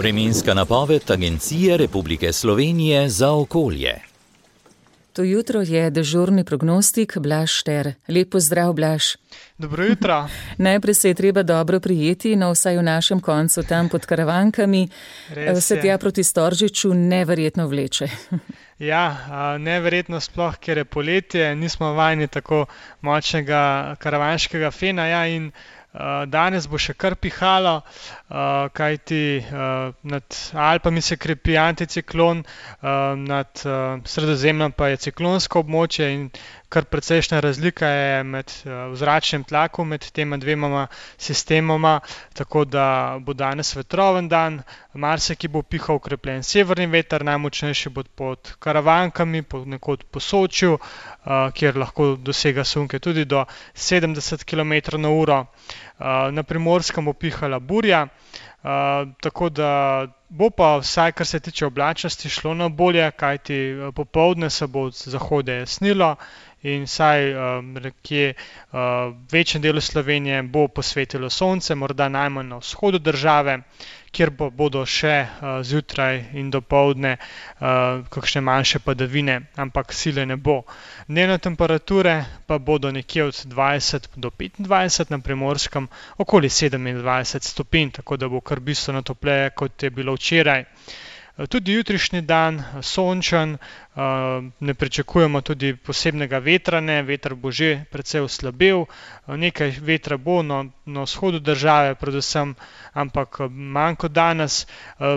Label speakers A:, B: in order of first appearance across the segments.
A: Vremenska napoved Agencije Republike Slovenije za okolje.
B: To jutro je dežurni prognostik Blaž Šter. Lep pozdrav, Blaž.
C: Dobro jutro.
B: Najprej se je treba dobro prijeti, no vsaj v našem koncu tam pod Karavankami. Se tja proti Storžiču neverjetno vleče.
C: Ja, neverjetno sploh, ker je poletje, nismo vajeni tako močnega karavanškega fena, ja, in danes bo še kar pihalo, kajti nad Alpami se krepi anticiklon, nad Sredozemljem pa je ciklonsko območje in kar precejšnja razlika je med vzračnim tlakom med tema dvema sistemoma, tako da bo danes vetroven dan, marsikje bo pihal okrepljen severni veter, najmočnejši bo pod Karavankami, ponekod po Sočju, kjer lahko dosega sunke tudi do 70 km/h. Na Primorskem bo pihala burja, tako da bo pa vsaj, kar se tiče oblačnosti, šlo na bolje, kajti popoldne se bo od zahoda jasnilo in vsaj nekje večjem delu Slovenije bo posvetilo sonce, morda najmanj na vzhodu države, kjer bodo še zjutraj in dopoldne kakšne manjše padavine, ampak sile ne bo. Dnevne temperature pa bodo nekje od 20 do 25, na Primorskem okoli 27 stopinj, tako da bo kar bistveno topleje, kot je bilo včeraj. Tudi jutrišnji dan sončen, ne pričakujemo tudi posebnega vetra, veter bo že precej oslabel, nekaj vetra bo na vzhodu države predvsem, ampak manj kot danes,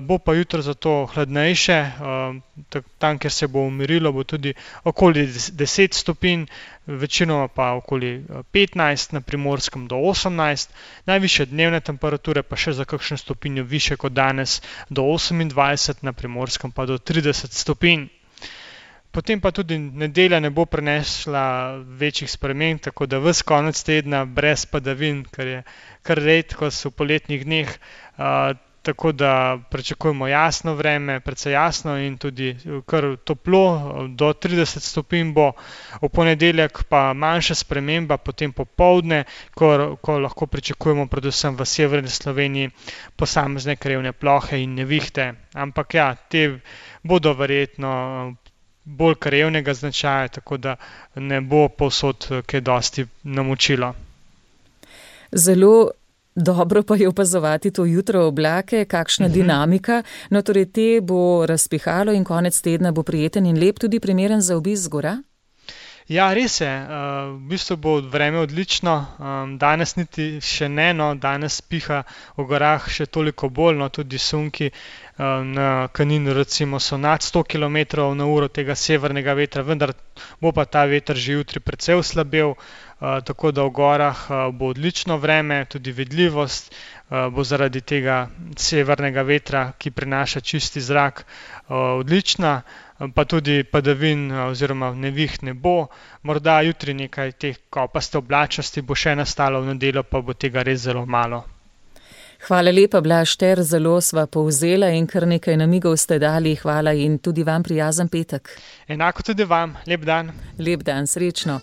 C: bo pa jutro zato hladnejše, tam, kjer se bo umirilo, bo tudi okoli 10 stopinj, večinoma pa okoli 15, na Primorskem do 18, najvišje dnevne temperature pa še za kakšno stopinjo više kot danes, do 28, na Primorskem pa do 30 stopinj. Potem pa tudi nedelja ne bo prinesla večjih sprememb, tako da ves konec tedna brez padavin, kar je kar redkost v poletnih dneh, tako da pričakujemo jasno vreme, precej jasno in tudi kar toplo, do 30 stopinj bo, v ponedeljek pa manjša sprememba, potem popoldne, ko lahko pričakujemo predvsem v severni Sloveniji posamezne krajevne plohe in nevihte. Ampak ja, te bodo verjetno bolj krajevnega značaja, tako da ne bo povsod kaj dosti namočilo.
B: Zelo dobro pa je opazovati to jutro oblake, kakšna dinamika. No, torej te bo razpihalo in konec tedna bo prijeten in lep, tudi primeren za obisk gora?
C: Ja, res je. V bistvu bo vreme odlično. Danes niti še ne, no, danes piha v gorah še toliko bolj, no, tudi sunki na Kaninu recimo so nad 100 km/h tega severnega vetra, vendar bo pa ta veter že jutri precej oslabel, tako da v gorah bo odlično vreme, tudi vidljivost bo zaradi tega severnega vetra, ki prinaša čisti zrak, odlična, pa tudi padavin oziroma neviht ne bo. Morda jutri nekaj teh kopaste oblačnosti bo še nastalo, v nedeljo pa bo tega res zelo malo.
B: Hvala lepa, Blaž Šter, zelo sva povzela in kar nekaj namigov ste dali. Hvala in tudi vam prijazen petek.
C: Enako tudi vam, lep dan.
B: Lep dan, srečno.